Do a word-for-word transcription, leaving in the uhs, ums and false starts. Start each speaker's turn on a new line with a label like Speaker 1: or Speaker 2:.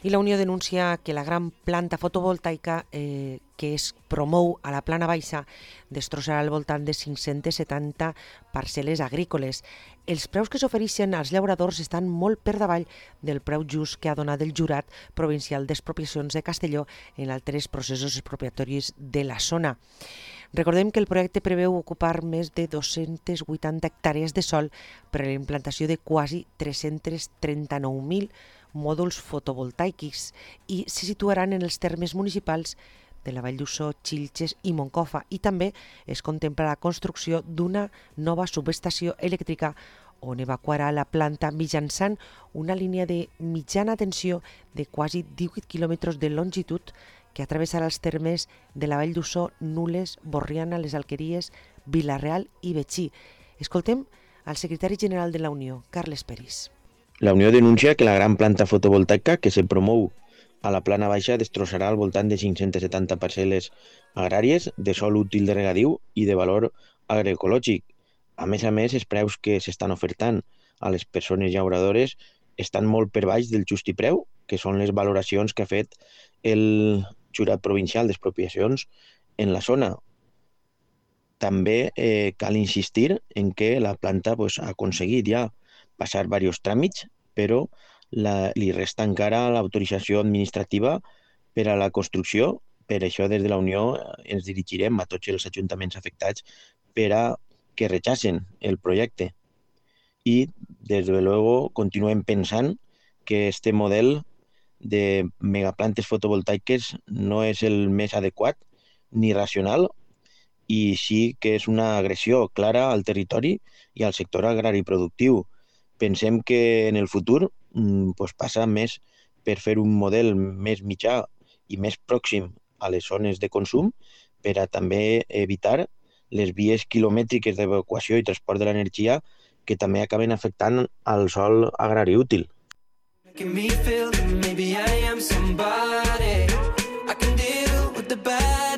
Speaker 1: I la Unió denuncia que la gran planta fotovoltaica eh, que es promou a la plana baixa destrossarà al voltant de cinc-centes setanta parcel·les agrícoles. Els preus que s'ofereixen als llauradors estan molt per davall del preu just que ha donat el Jurat Provincial d'Expropiacions de Castelló en altres processos expropiatoris de la zona. Recordem que el projecte preveu ocupar més de dos-centes vuitanta hectàrees de sòl per a la implantació de quasi tres-cents trenta-nou mil mòduls fotovoltaics i se situaran en els termes municipals de la Vall d'Uixó, Xilxes i Moncofa, i també es contempla la construcció d'una nova subestació elèctrica on evacuarà la planta mitjançant una línia de mitjana tensió de quasi divuit quilòmetres de longitud que travessarà els termes de la Vall d'Uixó, Nules, Borriana, les Alqueries, Vila-real i Betxí. Escoltem al secretari general de la Unió, Carles Peris.
Speaker 2: La Unió denuncia que la gran planta fotovoltaica que se promou a la plana baixa destrossarà al voltant de cinc-centes setanta parcel·les agràries de sòl útil de regadiu i de valor agroecològic. A més a més, els preus que s'estan ofertant a les persones llauradores estan molt per baix del justipreu, que són les valoracions que ha fet el Jurat Provincial d'Expropiacions en la zona. També eh, cal insistir en que la planta pues, ha aconseguit ja passar diversos tràmits, però la, li resta encara l'autorització administrativa per a la construcció. Per això, des de la Unió ens dirigirem a tots els ajuntaments afectats per a que rechacen el projecte. I, des de luego, continuem pensant que este model de megaplantes fotovoltaiques no és el més adequat ni racional i sí que és una agressió clara al territori i al sector agrari productiu. Pensem que en el futur pues, passa més per fer un model més mitjà i més pròxim a les zones de consum per a també evitar les vies quilomètriques d'evacuació i transport de l'energia que també acaben afectant al sòl agrari útil.
Speaker 3: Making me feel that maybe I am somebody. I can deal with the bad